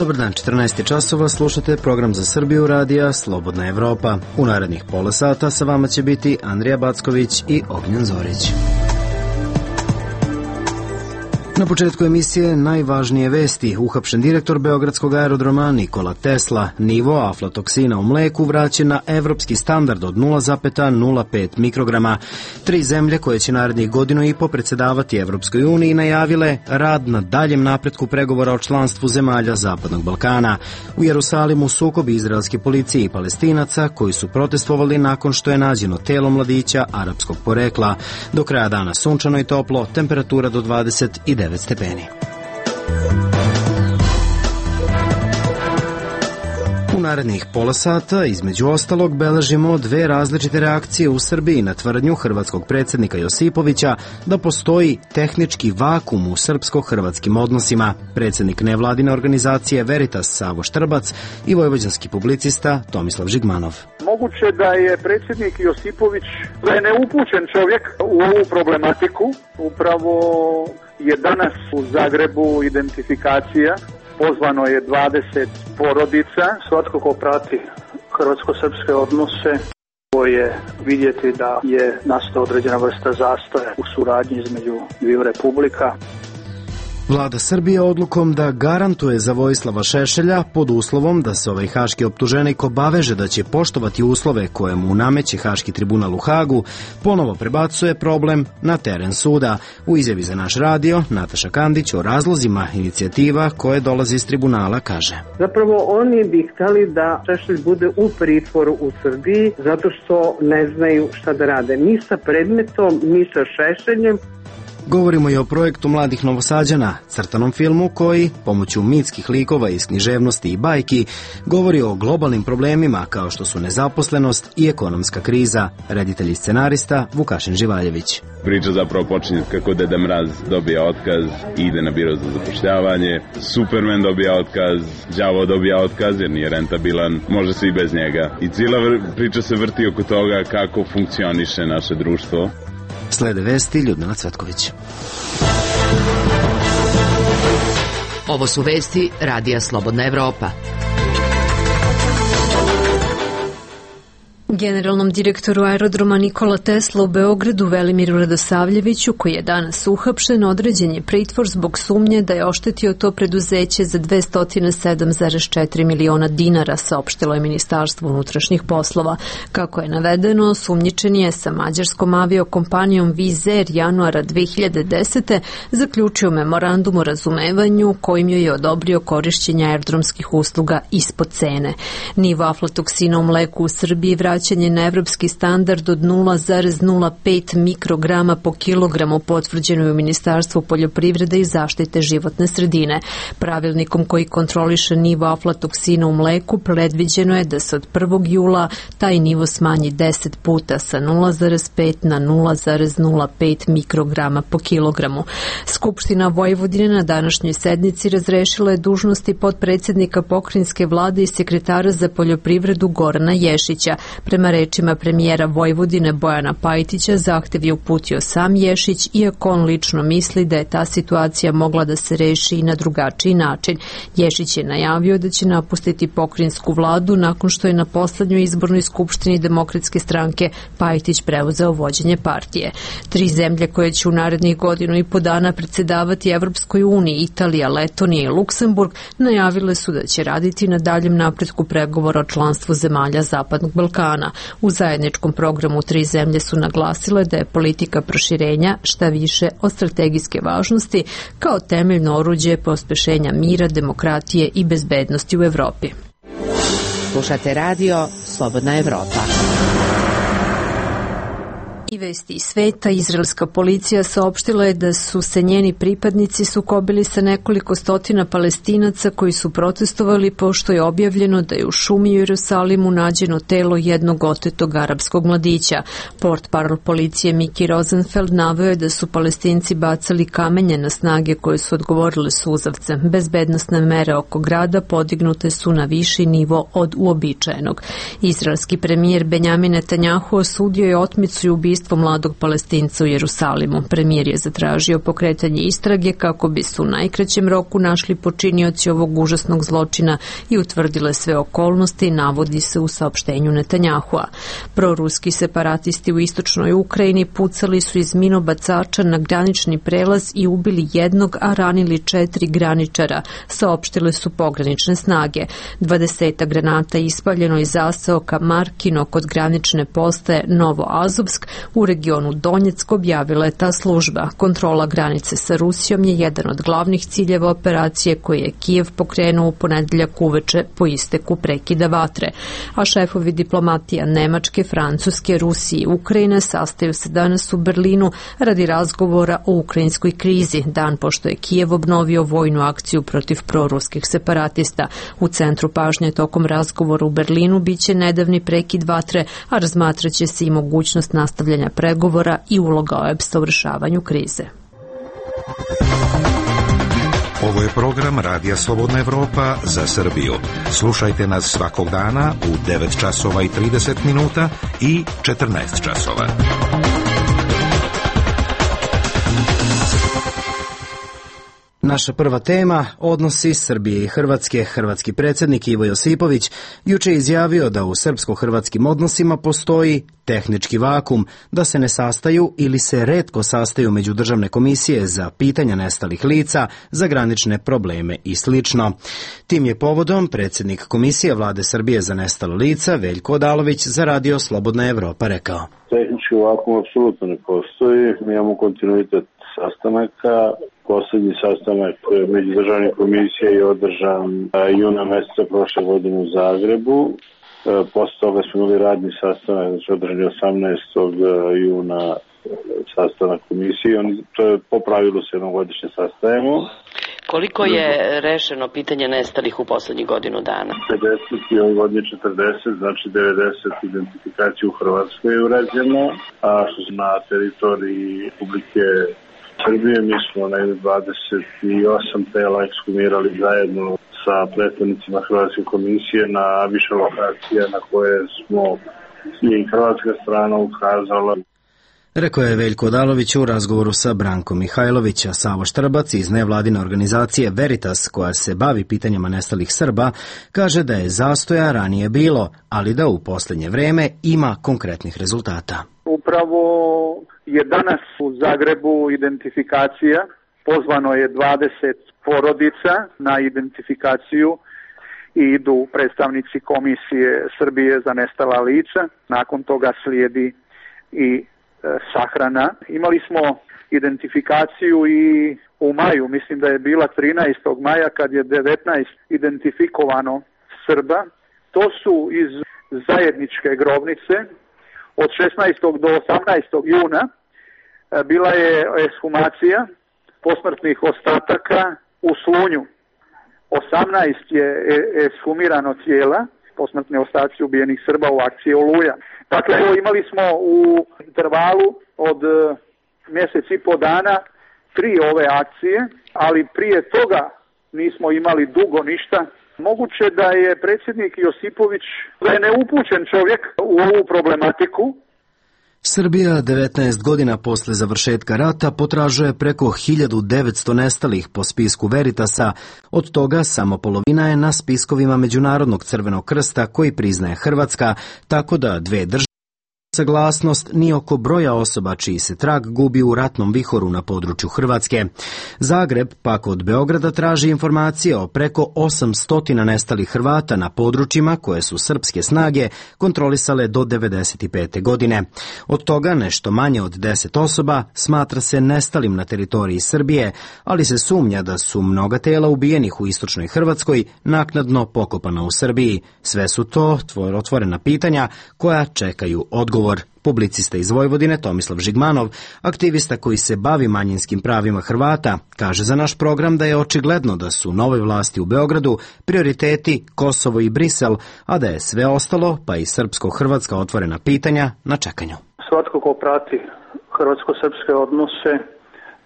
Dobar dan, 14 časova, slušate program za Srbiju radija Slobodna Evropa. U narednih pola sata sa vama će biti Andrija Backović i Ognjen Zorić. Na početku emisije najvažnije vesti. Uhapšen direktor Beogradskog aerodroma Nikola Tesla. Nivo aflatoksina u mleku vraćen na evropski standard od 0,05 mikrograma. 3 zemlje koje će narednih godinu i po predsedavati Evropskoj uniji najavile rad na daljem napretku pregovora o članstvu zemalja Zapadnog Balkana. U Jerusalimu sukob izraelske policije i Palestinaca koji su protestovali nakon što je nađeno telo mladića arapskog porekla. Do kraja dana sunčano i toplo, temperatura do 29 stepeni. U narednih pola sata, između ostalog, beležimo 2 različite reakcije u Srbiji na tvrdnju hrvatskog predsjednika Josipovića da postoji tehnički vakum u srpsko-hrvatskim odnosima. Predsjednik nevladine organizacije Veritas Savo Štrbac i vojvođanski publicista Tomislav Žigmanov. Moguće da je predsjednik Josipović neupućen čovjek u ovu problematiku. Upravo je danas u Zagrebu identifikacija. Pozvano je 20 porodica. Svatko ko prati hrvatsko-srpske odnose je vidjeti da je nastala određena vrsta zastoja u suradnji između dviju republika. Vlada Srbije odlukom da garantuje za Vojislava Šešelja pod uslovom da se ovaj haški optuženik obaveže da će poštovati uslove koje mu nameće Haški tribunal u Hagu, ponovo prebacuje problem na teren suda. U izjavi za naš radio, Nataša Kandić o razlozima inicijativa koje dolazi iz tribunala kaže: Zapravo oni bi htjeli da Šešelj bude u pritvoru u Srbiji zato što ne znaju šta da rade. Ni sa predmetom, ni sa Šešeljem. Govorimo i o projektu mladih Novosađana, crtanom filmu koji, pomoću mitskih likova iz književnosti i bajki, govori o globalnim problemima kao što su nezaposlenost i ekonomska kriza. Reditelj i scenarista Vukašin Živaljević. Priča zapravo počinje kako Deda Mraz dobija otkaz i ide na biro za zapošljavanje, Superman dobija otkaz, đavo dobija otkaz jer nije rentabilan, može se i bez njega. I cijela priča se vrti oko toga kako funkcioniše naše društvo. Slede vesti Ljudmila Cvetković. Ovo su vesti Radija Slobodna Evropa. Generalnom direktoru aerodroma Nikola Tesla u Beogradu Velimiru Radosavljeviću, koji je danas uhapšen, određen je pritvor zbog sumnje da je oštetio to preduzeće za 207,4 miliona dinara, saopštilo je Ministarstvo unutrašnjih poslova. Kako je navedeno, sumnjičen je sa mađarskom aviokompanijom Wizz Air januara 2010. zaključio memorandum o razumevanju kojim joj je odobrio korišćenje aerodromskih usluga ispod cene. Nivo aflatoksina u mleku u Srbiji vraćanje na evropski standard od 0,05 mikrograma po kilogramu potvrđeno je u Ministarstvu poljoprivrede i zaštite životne sredine. Pravilnikom koji kontroliše nivo aflatoksina u mleku predviđeno je da se od 1. jula taj nivo smanji 10 puta sa 0,5 na 0,05 mikrograma po kilogramu. Skupština Vojvodine na današnjoj sednici razrešila je dužnosti potpredsjednika pokrajinske vlade i sekretara za poljoprivredu Gorana Ješića. Prema rečima premijera Vojvodine Bojana Pajtića, zahtev je uputio sam Ješić, iako on lično misli da je ta situacija mogla da se reši i na drugačiji način. Ješić je najavio da će napustiti pokrajinsku vladu nakon što je na poslednjoj izbornoj skupštini Demokratske stranke Pajtić preuzeo vođenje partije. 3 zemlje koje će u narednih godinu i po dana predsedavati Evropskoj uniji, Italija, Letonija i Luksemburg, najavile su da će raditi na daljem napretku pregovora o članstvu zemalja Zapadnog Balkana. U zajedničkom programu 3 zemlje su naglasile da je politika proširenja šta više od strategijske važnosti kao temeljno oruđe pospešenja mira, demokratije i bezbednosti u Evropi. Slušate radio Slobodna Evropa. I vesti iz sveta, izraelska policija saopštila je da su se njeni pripadnici sukobili sa nekoliko stotina Palestinaca koji su protestovali pošto je objavljeno da je u šumi u Jerusalimu nađeno telo jednog otetog arapskog mladića. Portparol policije Miki Rosenfeld naveo je da su Palestinci bacali kamenje na snage koje su odgovorile suzavcem. Bezbednosne mere oko grada podignute su na viši nivo od uobičajenog. Izraelski premijer Benjamin Netanjahu osudio je otmicu i ubistvo ubistvo mladog Palestinca u Jerusalimu. Premijer je zatražio pokretanje istrage kako bi se u najkraćem roku našli počinioci ovog užasnog zločina i utvrdile sve okolnosti, navodi se u saopštenju Netanjahua. Proruski separatisti u istočnoj Ukrajini pucali su iz minobacača na granični prelaz i ubili jednog, a ranili 4 graničara, saopštile su pogranične snage. 20 granata ispaljeno iz zaseoka Markino kod granične postaje Novoazovsk u regionu Donjeck, objavila je ta služba. Kontrola granice sa Rusijom je jedan od glavnih ciljeva operacije koje je Kijev pokrenuo u ponedeljak uveče po isteku prekida vatre. A šefovi diplomatija Nemačke, Francuske, Rusije i Ukrajine sastaju se danas u Berlinu radi razgovora o ukrajinskoj krizi, dan pošto je Kijev obnovio vojnu akciju protiv proruskih separatista. U centru pažnje tokom razgovora u Berlinu biće nedavni prekid vatre, a razmatraće se i mogućnost nastavljanja pregovora i uloga OEBS-a u rešavanju krize. Ovo je program Radija Slobodna Evropa za Srbiju. Slušajte nas svakog dana u 9 časova i 30 minuta i 14 časova. Naša prva tema, odnosi Srbije i Hrvatske. Hrvatski predsjednik Ivo Josipović juče je izjavio da u srpsko-hrvatskim odnosima postoji tehnički vakum, da se ne sastaju ili se retko sastaju međudržavne komisije za pitanja nestalih lica, za granične probleme i sl. Tim je povodom predsjednik Komisije Vlade Srbije za nestala lica Veljko Odalović za Radio Slobodna Evropa rekao: Tehnički vakum apsolutno ne postoji, mi imamo kontinuitet sastanaka. Poslednji sastanak međudržavne komisije je održan juna meseca prošle godine u Zagrebu. Posle toga smo imali radni sastanak, znači održan je 18. juna sastanak komisije. Po pravilu se jednogodišnje sastajemo. Koliko je rešeno pitanje nestalih u poslednjih godinu dana? 50 i ovoj godini 40, znači 90 identifikacija u Hrvatskoj je urađeno, a što se na teritoriji Republike Srbije, mi smo na 28 tela ekshumirali zajedno sa predstavnicima Hrvatske komisije na više lokacija na koje smo i hrvatska strana ukazala. Rekao je Veljko Odalović u razgovoru sa Brankom Mihajlovića. Savo Štrbac iz nevladine organizacije Veritas, koja se bavi pitanjima nestalih Srba, kaže da je zastoja ranije bilo, ali da u posljednje vreme ima konkretnih rezultata. Upravo je danas u Zagrebu identifikacija, pozvano je 20 porodica na identifikaciju i idu predstavnici Komisije Srbije za nestala lica. Nakon toga slijedi i sahrana. Imali smo identifikaciju i u maju, mislim da je bila 13. maja kad je 19 identifikovano Srba. To su iz zajedničke grobnice. Od 16. do 18. juna bila je ekshumacija posmrtnih ostataka u Slunju. 18 je ekshumirano tijela, posmrtni ostaci ubijenih Srba u akciji Oluja. Dakle, imali smo u intervalu od mjesec i po dana 3 ove akcije, ali prije toga nismo imali dugo ništa. Moguće da je predsjednik Josipović neupućen čovjek u ovu problematiku. Srbija 19 godina posle završetka rata potražuje preko 1900 nestalih po spisku Veritasa, od toga samo polovina je na spiskovima Međunarodnog crvenog krsta koji priznaje Hrvatska, tako da dve države saglasnost ni oko broja osoba čiji se trag gubi u ratnom vihoru na području Hrvatske. Zagreb pak od Beograda traži informacije o preko 800 nestalih Hrvata na područjima koje su srpske snage kontrolisale do 1995. godine. Od toga nešto manje od 10 osoba smatra se nestalim na teritoriji Srbije, ali se sumnja da su mnoga tela ubijenih u istočnoj Hrvatskoj naknadno pokopana u Srbiji. Sve su to otvorena pitanja koja čekaju odgovor. Publicista iz Vojvodine Tomislav Žigmanov, aktivista koji se bavi manjinskim pravima Hrvata, kaže za naš program da je očigledno da su nove vlasti u Beogradu prioriteti Kosovo i Brisel, a da je sve ostalo, pa i srpsko-hrvatska otvorena pitanja, na čekanju. Svatko ko prati hrvatsko-srpske odnose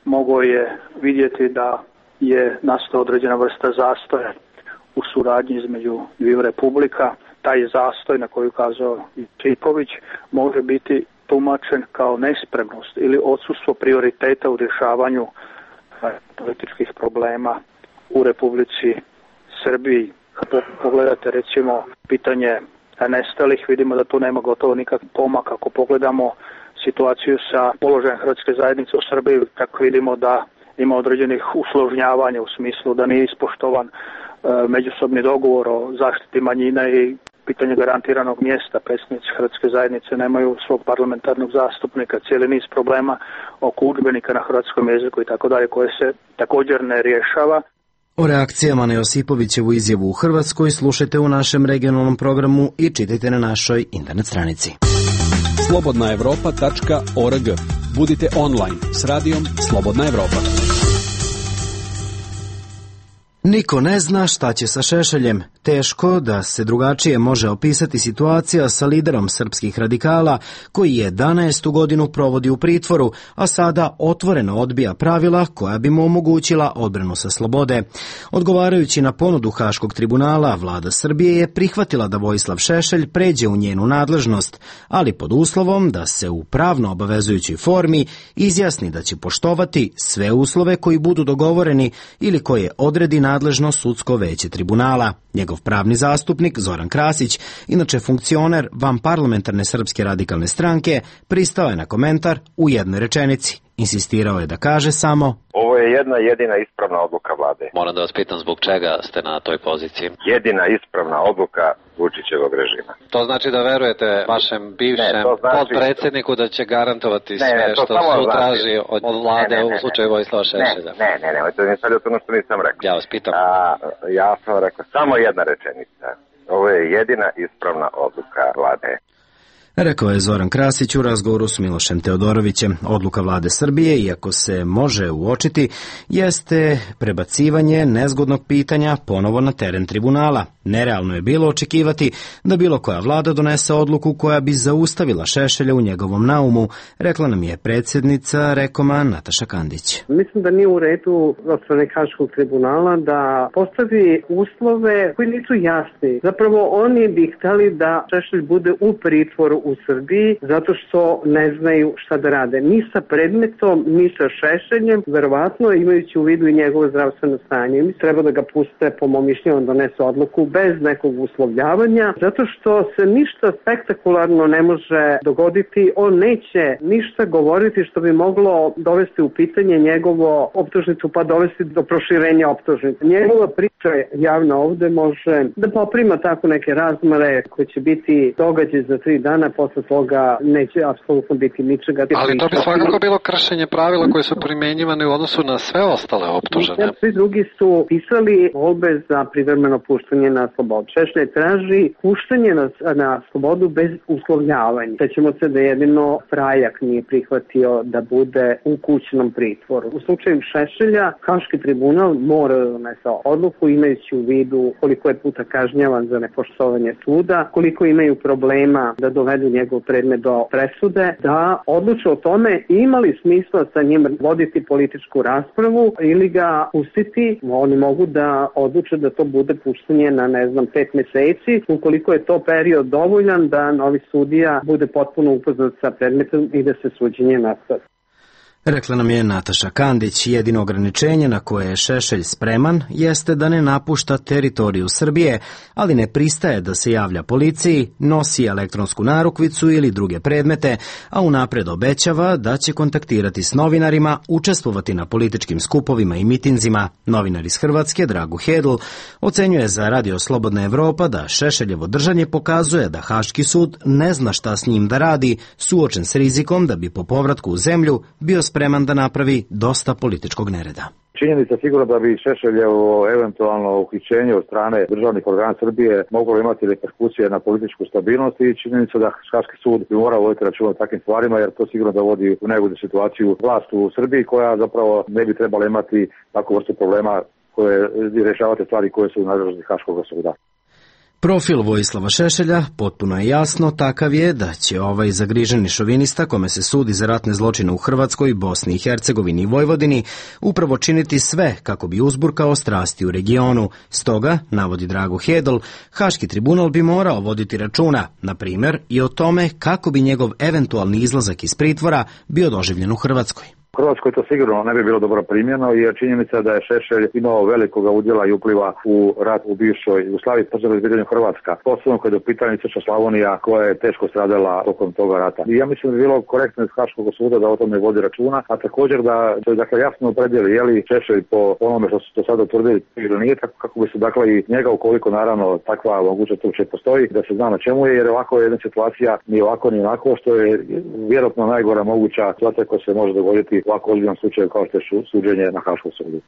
mogao je vidjeti da je nastala određena vrsta zastoja u suradnji između dviju republika. Taj zastoj na koju kazao Josipović može biti tumačen kao nespremnost ili odsustvo prioriteta u rješavanju političkih problema u Republici Srbiji. Kad pogledate recimo pitanje nestalih, vidimo da tu nema gotovo nikakvih pomaka. Ako pogledamo situaciju sa položajem hrvatske zajednice u Srbiji, tako vidimo da ima određenih usložnjavanja u smislu da nije ispoštovan međusobni dogovor o zaštiti manjina i pitanje garantiranog mjesta. Predstavnici hrvatske zajednice nemaju svog parlamentarnog zastupnika, cijeli niz problema oko udžbenika na hrvatskom jeziku i tako dalje, koje se također ne rješava. O reakcijama na Josipovićevu izjavu u Hrvatskoj slušajte u našem regionalnom programu i čitajte na našoj internet stranici. slobodnaevropa.org. Budite online s radijom Slobodna Evropa. Niko ne zna šta će sa Šešeljem. Teško da se drugačije može opisati situacija sa liderom srpskih radikala koji 11. godinu provodi u pritvoru, a sada otvoreno odbija pravila koja bi mu omogućila odbranu sa slobode. Odgovarajući na ponudu Haškog tribunala, vlada Srbije je prihvatila da Vojislav Šešelj pređe u njenu nadležnost, ali pod uslovom da se u pravno obavezujućoj formi izjasni da će poštovati sve uslove koji budu dogovoreni ili koje odredi nadležno sudsko veće tribunala. Njegov pravni zastupnik Zoran Krasić, inače funkcioner vanparlamentarne Srpske radikalne stranke, pristao je na komentar u jednoj rečenici. Insistirao je da kaže samo: ovo je jedna jedina ispravna odluka vlade. Moram da vas pitam zbog čega ste na toj poziciji? Jedina ispravna odluka Vučićevog režima. To znači da verujete vašem bivšem podpredsjedniku da će garantovati sve što sud traži od vlade u slučaju Vojislava Šešelja? Ne, to je ono što nisam rekao. Ja vas pitam. Ja sam rekao samo jedna rečenica. Ovo je jedina ispravna odluka vlade. Rekao je Zoran Krasić u razgovoru s Milošem Teodorovićem. Odluka vlade Srbije, iako se može uočiti, jeste prebacivanje nezgodnog pitanja ponovo na teren tribunala. Nerealno je bilo očekivati da bilo koja vlada donese odluku koja bi zaustavila Šešelja u njegovom naumu, rekla nam je predsjednica Rekoma Nataša Kandić. Mislim da nije u redu od strane Haškog tribunala da postavi uslove koji nisu jasni. Zapravo oni bi hteli da Šešelj bude u pritvoru u Srbiji zato što ne znaju šta da rade. Ni sa predmetom, ni sa Šešeljem, verovatno imajući u vidu i njegovo zdravstveno stanje. Mi treba da ga puste, po mom mišljenju, donese odluku bez nekog uslovljavanja, zato što se ništa spektakularno ne može dogoditi. On neće ništa govoriti što bi moglo dovesti u pitanje njegovo optužnicu, pa dovesti do proširenja optužnice. Njegova priča javno ovde može da poprima tako neke razmere koje će biti događaj za 3 dana, posle toga neće apsolutno biti ničega. Ali to bi svakako bilo kršenje pravila koje su primjenjivane u odnosu na sve ostale optužene. Svi drugi su pisali molbe za privremeno puštanje na slobodu. Šešelj traži puštanje na slobodu bez uslovljavanja. Sećamo se da jedino Frajak nije prihvatio da bude u kućnom pritvoru. U slučaju Šešelja, Haški tribunal mora da donese odluku imajući u vidu koliko je puta kažnjavan za nepoštovanje suda, koliko imaju problema da dovedu njegov predmet do presude, da odluče o tome ima li smisla sa njim voditi političku raspravu ili ga pustiti. Oni mogu da odluče da to bude puštanje na 5 meseci, ukoliko je to period dovoljan da novi sudija bude potpuno upoznat sa predmetom i da se suđenje nastavi. Rekla nam je Nataša Kandić. Jedino ograničenje na koje je Šešelj spreman jeste da ne napušta teritoriju Srbije, ali ne pristaje da se javlja policiji, nosi elektronsku narukvicu ili druge predmete, a unapred obećava da će kontaktirati s novinarima, učestvovati na političkim skupovima i mitinzima. Novinar iz Hrvatske, Drago Hedl, ocenjuje za Radio Slobodna Evropa da Šešeljevo držanje pokazuje da Haški sud ne zna šta s njim da radi, suočen s rizikom da bi po povratku u zemlju bio spreman da napravi dosta političkog nereda. Činjenica sigurno da bi Šešeljevo eventualno uhićenje od strane državnih organa Srbije moglo imati reperkusije na političku stabilnost i činjenica da Haški sud bi morao voditi računa o takvim stvarima, jer to sigurno dovodi u negodu situaciju vlast u Srbiji koja zapravo ne bi trebala imati takvu vrstu problema koje rješavate stvari koje su u nadležnosti Haškog suda. Profil Vojislava Šešelja potpuno je jasno, takav je da će ovaj zagriženi šovinista, kome se sudi za ratne zločine u Hrvatskoj, Bosni i Hercegovini i Vojvodini, upravo činiti sve kako bi uzburkao strasti u regionu. Stoga, navodi Drago Hedl, Haški tribunal bi morao voditi računa, na primjer, i o tome kako bi njegov eventualni izlazak iz pritvora bio doživljen u Hrvatskoj. U Hrvatskoj to sigurno ne bi bilo dobro primljeno, jer činjenica da je Šešelj imao velikoga udjela i upliva u rat u bivšoj Jugoslaviji, posebno u pitanju Hrvatska, posebno kad je u pitanju Istočna Slavonija koja je teško stradala tokom toga rata. I ja mislim da bi bilo korektno iz Haškog suda da o tome vodi računa, a također da se jasno opredijeli je li Šešelj po onome što su to sada utvrdili ili nije, tako kako bi se i njega, ukoliko naravno takva mogućnost uopće postoji, da se zna na čemu je, jer ovako je jedna situacija ni ovako ni onako, što je vjerojatno najgora moguća situacija koja se može dogoditi ovako ozbiljnom slučaju kao što je suđenje na Haškom sudu.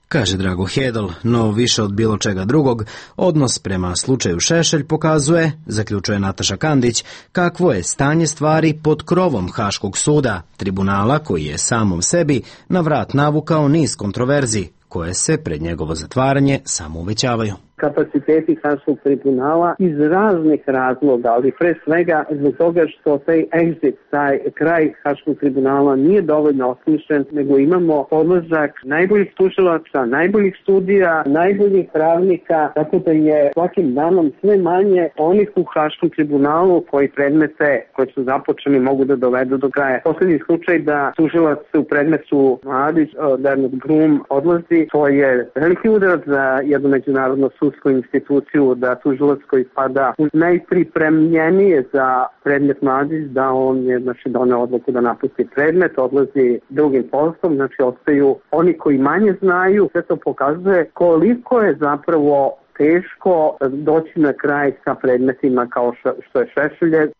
Kaže Drago Hedl, no više od bilo čega drugog, odnos prema slučaju Šešelj pokazuje, zaključuje Nataša Kandić, kakvo je stanje stvari pod krovom Haškog suda, tribunala koji je samom sebi na vrat navukao niz kontroverzi, koje se pred njegovo zatvaranje samo uvećavaju. Kapaciteti Haškog tribunala iz raznih razloga, ali pre svega zbog toga što taj exit, taj kraj Haškog tribunala nije dovoljno osmišljen, nego imamo odlazak najboljih tužilaca, najboljih sudija, najboljih pravnika, tako da je svakim danom sve manje onih u Haškom tribunalu koji predmete koje su započeni mogu da dovedu do kraja. Poslednji slučaj da tužilac u predmetu Mladić, Bernard Brum, odlazi, to je veliki udarac za jednu međunarodnu instituciju, da tužilac koji spada najpripremljenije za predmet Mladić, da on je doneo odluku da napusti predmet, odlazi drugim poslom, ostaju oni koji manje znaju. Sve to pokazuje koliko je zapravo teško doći na kraj sa predmetima kao što je Šešelj.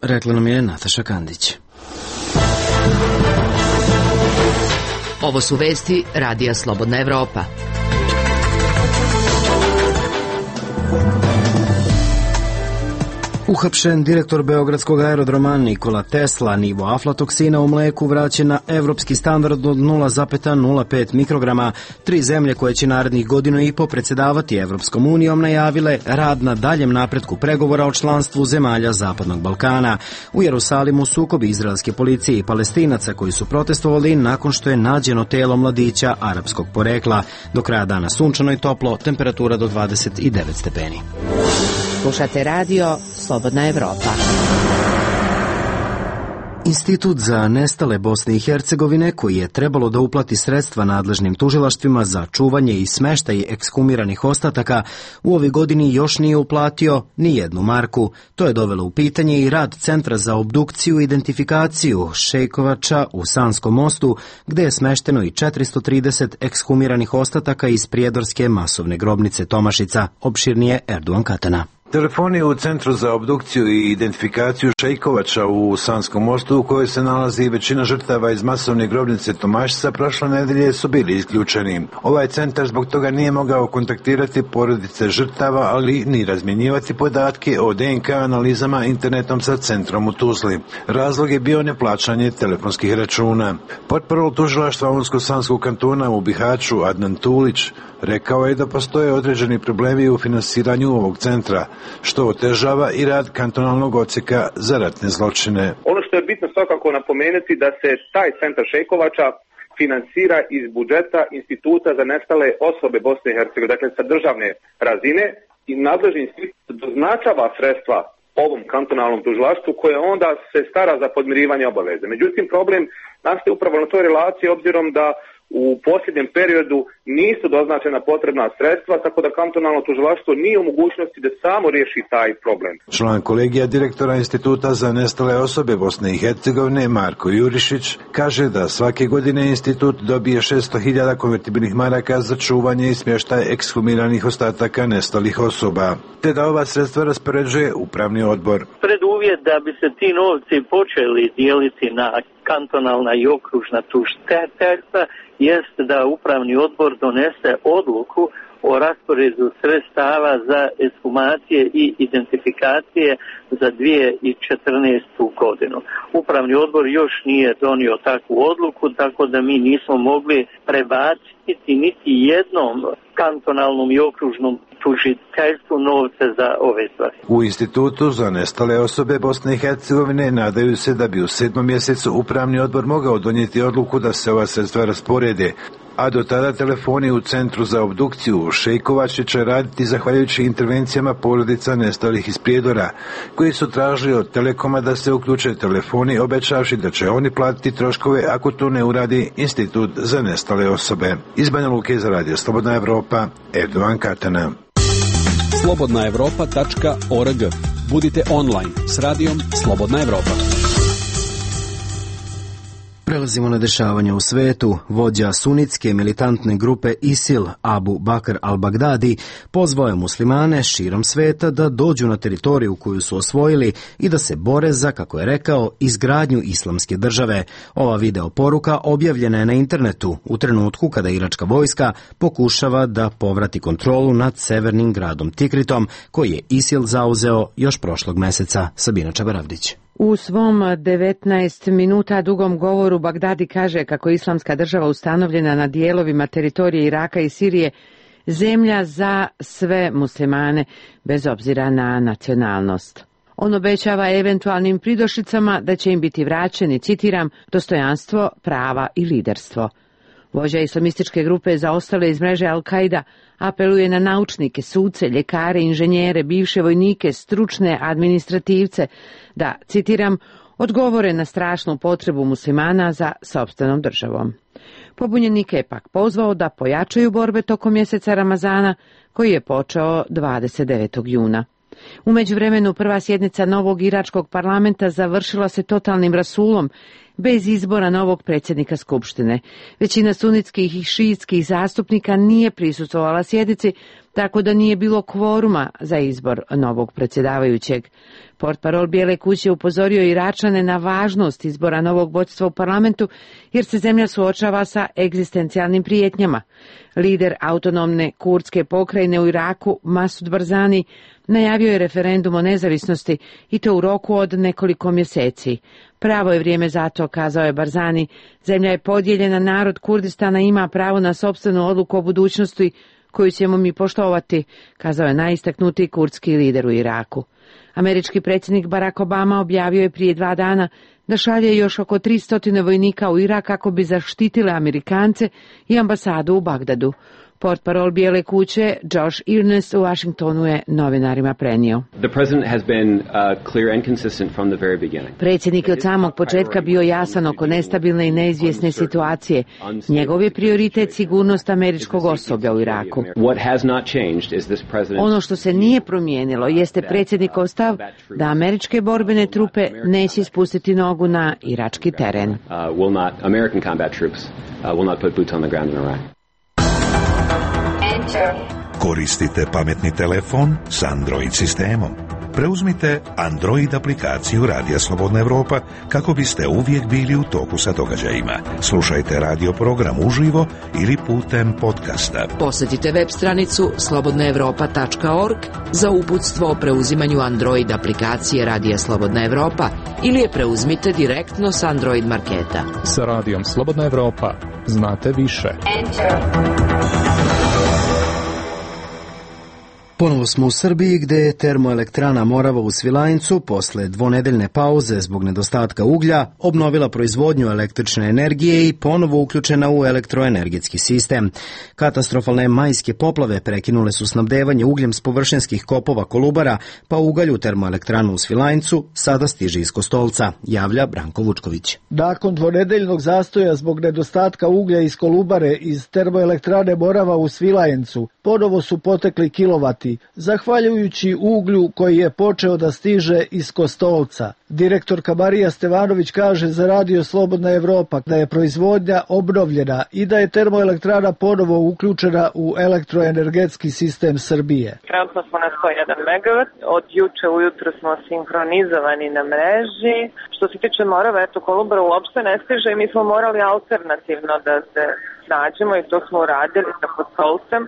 Rekla nam je Nataša Kandić. Ovo su vesti Radija Slobodna Evropa. Uhapšen direktor Beogradskog aerodroma Nikola Tesla, nivo aflatoksina u mleku vraćen na evropski standard od 0,05 mikrograma. 3 zemlje koje će narednih godinu i po predsjedavati Evropskom unijom najavile rad na daljem napretku pregovora o članstvu zemalja Zapadnog Balkana. U Jerusalimu sukobi izraelske policije i Palestinaca koji su protestovali nakon što je nađeno telo mladića arapskog porekla. Do kraja dana sunčano i toplo, temperatura do 29 stepeni. Slušate radio Slobodna Evropa. Institut za nestale Bosne i Hercegovine, koji je trebalo da uplati sredstva nadležnim tužilaštvima za čuvanje i smeštaj ekshumiranih ostataka, u ovoj godini još nije uplatio ni jednu marku. To je dovelo u pitanje i rad Centra za obdukciju i identifikaciju Šejkovača u Sanskom mostu, gde je smešteno i 430 ekshumiranih ostataka iz prijedorske masovne grobnice Tomašica, opširnije Erduan Katana. Telefoni u Centru za obdukciju i identifikaciju Šejkovača u Sanskom mostu, u kojoj se nalazi većina žrtava iz masovne grobnice Tomašica, prošle nedelje su bili isključeni. Ovaj centar zbog toga nije mogao kontaktirati porodice žrtava, ali ni razmjenjivati podatke o DNK analizama internetom sa centrom u Tuzli. Razlog je bio neplaćanje telefonskih računa. Potparol tužilaštva Unsko-Sanskog kantona u Bihaću, Adnan Tulić, rekao je da postoje određeni problemi u finansiranju ovog centra, što otežava i rad kantonalnog odsjeka za ratne zločine. Ono što je bitno svakako napomenuti da se taj centar Šejkovača finansira iz budžeta Instituta za nestale osobe Bosne i Hercegovine, dakle sa državne razine, i nadležni institut doznačava sredstva ovom kantonalnom tužilaštvu koje onda se stara za podmirivanje obaveze. Međutim, problem nastaje upravo na toj relaciji, obzirom da u posljednjem periodu nisu doznačena potrebna sredstva, tako da kantonalno tužilaštvo nije u mogućnosti da samo riješi taj problem. Član kolegija direktora Instituta za nestale osobe Bosne i Hercegovine Marko Jurišić kaže da svake godine institut dobije 600.000 konvertibilnih maraka za čuvanje i smještaj ekshumiranih ostataka nestalih osoba, te da ova sredstva raspoređuje upravni odbor. Preduvjet da bi se ti novci počeli dijeliti na kantonalna i okružna tužiteljstva jest da upravni odbor donese odluku o rasporedu sredstava za ekshumacije i identifikacije za 2014. godinu. Upravni odbor još nije donio takvu odluku, tako da mi nismo mogli prebaciti niti jednom kantonalnom i okružnom tužiteljstvu novce za ove stvari. U Institutu za nestale osobe Bosne i Hercegovine nadaju se da bi u 7. mjesecu upravni odbor mogao donijeti odluku da se ova sredstva rasporede, a do tada telefoni u Centru za obdukciju u Šejkovači će raditi zahvaljujući intervencijama porodica nestalih iz Prijedora, koji su tražili od Telekoma da se uključe telefoni, obećavši da će oni platiti troškove ako to ne uradi Institut za nestale osobe. Iz Banja Luke za Radio Slobodna Evropa, Erdovan Katana. slobodnaevropa.org. Budite online s radijom Slobodna Evropa. Prelazimo na dešavanja u svetu. Vođa sunitske militantne grupe ISIL, Abu Bakr al-Baghdadi, pozvao je muslimane širom sveta da dođu na teritoriju koju su osvojili i da se bore za, kako je rekao, izgradnju islamske države. Ova video poruka objavljena je na internetu u trenutku kada iračka vojska pokušava da povrati kontrolu nad severnim gradom Tikritom, koji je ISIL zauzeo još prošlog meseca. Sabina Čabaravdić. U svom 19 minuta dugom govoru Bagdadi kaže kako je islamska država ustanovljena na dijelovima teritorije Iraka i Sirije zemlja za sve muslimane, bez obzira na nacionalnost. On obećava eventualnim pridošlicama da će im biti vraćeni, citiram, dostojanstvo, prava i liderstvo. Vođa islamističke grupe za ostale iz mreže Al-Qaida apeluje na naučnike, suce, ljekare, inženjere, bivše vojnike, stručne administrativce da, citiram, odgovore na strašnu potrebu muslimana za sopstvenom državom. Pobunjenike je pak pozvao da pojačaju borbe tokom mjeseca Ramazana, koji je počeo 29. juna. U međuvremenu prva sjednica novog iračkog parlamenta završila se totalnim rasulom, bez izbora novog predsjednika Skupštine. Većina sunitskih i šiitskih zastupnika nije prisustvovala sjednici, tako da nije bilo kvoruma za izbor novog predsjedavajućeg. Portparol Bijele kuće upozorio Iračane na važnost izbora novog vodstva u parlamentu, jer se zemlja suočava sa egzistencijalnim prijetnjama. Lider autonomne kurdske pokrajine u Iraku, Masud Barzani, najavio je referendum o nezavisnosti i to u roku od nekoliko mjeseci. Pravo je vrijeme za to, kazao je Barzani. Zemlja je podijeljena, narod Kurdistana ima pravo na sopstvenu odluku o budućnosti koju ćemo mi poštovati, kazao je najistaknutiji kurdski lider u Iraku. Američki predsjednik Barack Obama objavio je prije 2 dana da šalje još oko 300 vojnika u Irak kako bi zaštitile Amerikance i ambasadu u Bagdadu. Portparol Bijele kuće Josh Earnest u Washingtonu je novinarima prenio. Predsjednik je od samog početka bio jasan oko nestabilne i neizvjesne situacije. Njegov je prioritet sigurnost američkog osoblja u Iraku. Ono što se nije promijenilo jeste predsjednikov stav da američke borbene trupe neće spustiti nogu na irački teren. Koristite pametni telefon s Android sistemom. Preuzmite Android aplikaciju Radija Slobodna Evropa kako biste uvijek bili u toku sa događajima. Slušajte radio program uživo ili putem podcasta. Posjetite web stranicu slobodnaevropa.org za uputstvo o preuzimanju Android aplikacije Radija Slobodna Evropa ili je preuzmite direktno s Android marketa. Sa Radijom Slobodna Evropa znate više. Ponovo smo u Srbiji gdje je termoelektrana Morava u Svilajncu posle dvonedeljne pauze zbog nedostatka uglja obnovila proizvodnju električne energije i ponovo uključena u elektroenergetski sistem. Katastrofalne majske poplave prekinule su snabdevanje ugljem s površinskih kopova Kolubara, pa ugalj u termoelektranu u Svilajncu sada stiže iz Kostolca, javlja Branko Vučković. Nakon dvonedeljnog zastoja zbog nedostatka uglja iz Kolubare iz termoelektrane Morava u Svilajncu, ponovo su potekli kilovati, zahvaljujući uglju koji je počeo da stiže iz Kostolca. Direktorka Marija Stevanović kaže za Radio Slobodna Evropa da je proizvodnja obnovljena i da je termoelektrana ponovo uključena u elektroenergetski sistem Srbije. Trenutno smo na 101 MW, od juče ujutro smo sinhronizovani na mreži. Što se tiče Morava, Kolubara uopšte ne stiže i mi smo morali alternativno da se nađemo i to smo uradili sa Kostolcem.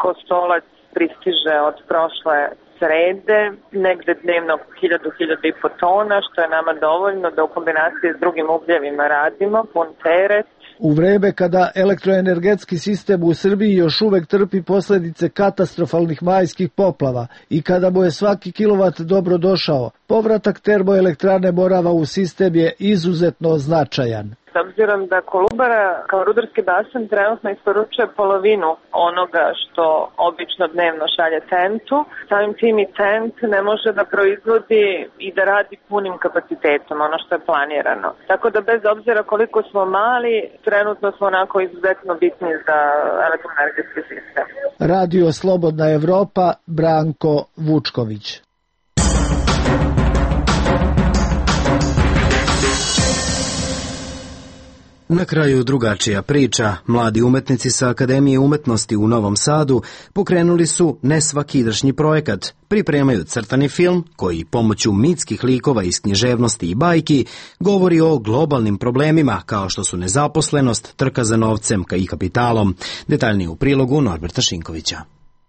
Kostolac pristiže od prošle srede, negde dnevno 1000-1500 tona, što je nama dovoljno da u kombinaciji s drugim ugljevima radimo, pun teret U vreme kada elektroenergetski sistem u Srbiji još uvek trpi posljedice katastrofalnih majskih poplava i kada mu je svaki kilovat dobro došao, povratak termoelektrane Morava u sistem je izuzetno značajan. S obzirom da Kolubara kao rudarski basen trenutno isporučuje polovinu onoga što obično dnevno šalje TENT-u, samim tim i TENT ne može da proizvodi i da radi punim kapacitetom, ono što je planirano. Tako da bez obzira koliko smo mali, trenutno smo onako izuzetno bitni za elektroenergetski sistem. Radio Slobodna Evropa, Branko Vučković. Na kraju drugačija priča. Mladi umetnici sa Akademije umetnosti u Novom Sadu pokrenuli su nesvakidašnji projekat. Pripremaju crtani film koji pomoću mitskih likova iz književnosti i bajki govori o globalnim problemima kao što su nezaposlenost, trka za novcem i kapitalom. Detaljnije u prilogu Norberta Šinkovića.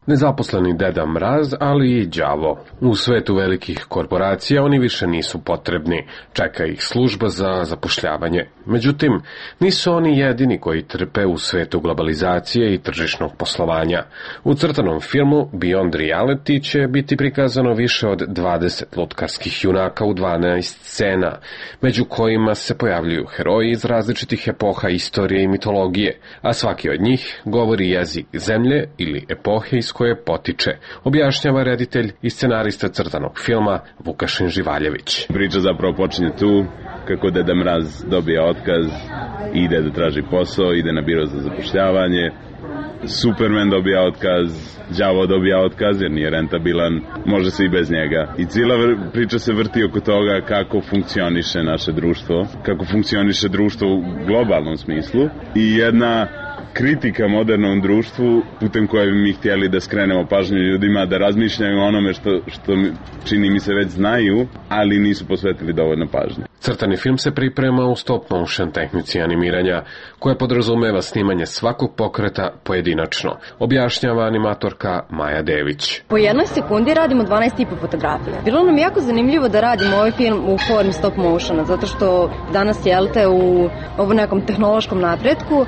Nezaposleni Deda Mraz, ali i đavo. U svetu velikih korporacija oni više nisu potrebni, čeka ih služba za zapošljavanje. Međutim, nisu oni jedini koji trpe u svetu globalizacije i tržišnog poslovanja. U crtanom filmu Beyond Reality će biti prikazano više od 20 lutkarskih junaka u 12 scena, među kojima se pojavljuju heroji iz različitih epoha istorije i mitologije, a svaki od njih govori jezik zemlje ili epohe iz koje potiče, objašnjava reditelj i scenarista crtanog filma Vukašin Živaljević. Priča zapravo počinje tu kako Deda Mraz dobija otkaz, ide da traži posao, ide na biro za zapošljavanje, Superman dobija otkaz, đavo dobija otkaz jer nije rentabilan, može se i bez njega. I cijela priča se vrti oko toga kako funkcioniše naše društvo, kako funkcioniše društvo u globalnom smislu i jedna kritika modernom društvu putem koje bi mi htjeli da skrenemo pažnju ljudima da razmišljaju o onome što čini mi se već znaju, ali nisu posvetili dovoljno pažnje. Crtani film se priprema u stop motion tehnici animiranja, koja podrazumeva snimanje svakog pokreta pojedinačno, objašnjava animatorka Maja Dević. Po jednoj sekundi radimo 12,5 fotografija. Bilo nam jako zanimljivo da radimo ovaj film u formi stop motiona, zato što danas jelte u ovom nekom tehnološkom napretku,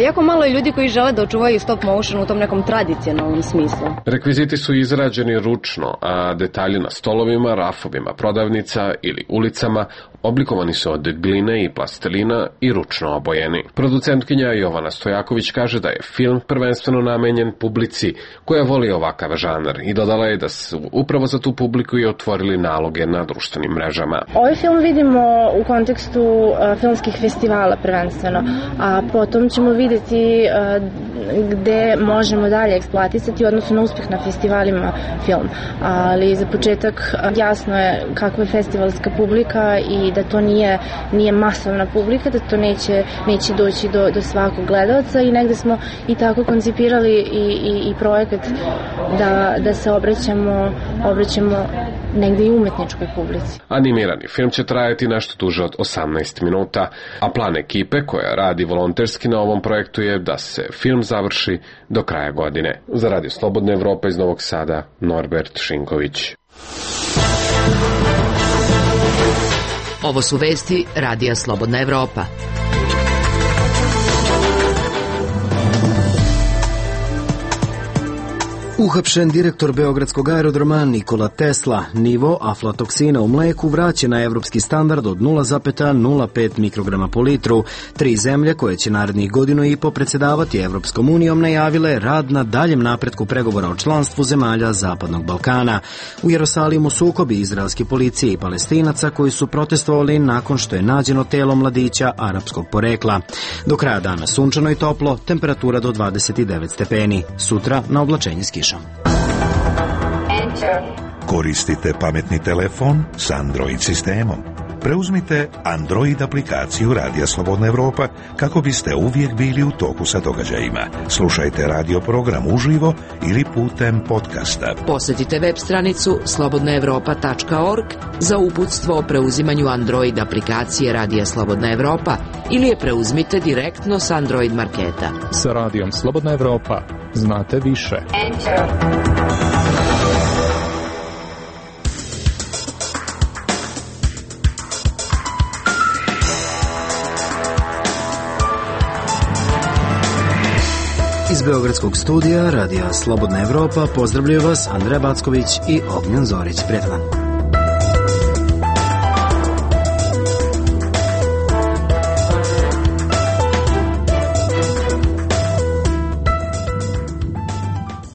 jako malo je ljudi koji žele da očuvaju stop motion u tom nekom tradicionalnom smislu. Rekviziti su izrađeni ručno, a detalji na stolovima, rafovima, prodavnica ili ulicama oblikovani su od gline i plastelina i ručno obojeni. Producentkinja Jovana Stojaković kaže da je film prvenstveno namenjen publici koja voli ovakav žanr i dodala je da su upravo za tu publiku i otvorili naloge na društvenim mrežama. Ovaj film vidimo u kontekstu filmskih festivala prvenstveno, a potom ćemo vidjeti gde možemo dalje eksploatisati u odnosu na uspjeh na festivalima film. Ali za početak jasno je kakva je festivalska publika i da to nije masovna publika, da to neće doći do svakog gledalca i negde smo i tako koncipirali i projekat da se obraćamo negde i umetničkoj publici. Animirani film će trajati nešto duže od 18 minuta, a plan ekipe koja radi volonterski na ovom projektu je da se film završi do kraja godine. Za Radio Slobodna Evropa iz Novog Sada, Norbert Šinković. Ovo su vesti Radija Slobodna Evropa. Uhapšen direktor Beogradskog aerodroma Nikola Tesla. Nivo aflatoksina u mleku vraća na evropski standard od 0,05 mikrograma po litru. 3 zemlje koje će narednih godinu i po predsedavati Evropskom unijom najavile rad na daljem napretku pregovora o članstvu zemalja Zapadnog Balkana. U Jerusalimu sukobi izraelske policije i Palestinaca koji su protestovali nakon što je nađeno telo mladića arapskog porekla. Do kraja dana sunčano i toplo, temperatura do 29 stepeni. Sutra na oblačenje s kišom. Koristite pametni telefon s Android sistemom. Preuzmite Android aplikaciju Radija Slobodna Evropa kako biste uvijek bili u toku sa događajima. Slušajte radio program uživo ili putem podcasta. Posjetite web stranicu slobodnaevropa.org za uputstvo o preuzimanju Android aplikacije Radija Slobodna Evropa ili je preuzmite direktno s Android marketa. Sa Radijom Slobodna Evropa znate više. Iz Beogradskog studija Radija Slobodna Evropa pozdravljaju vas Andreja Backović i Ognjen Zorić. Prijatan dan.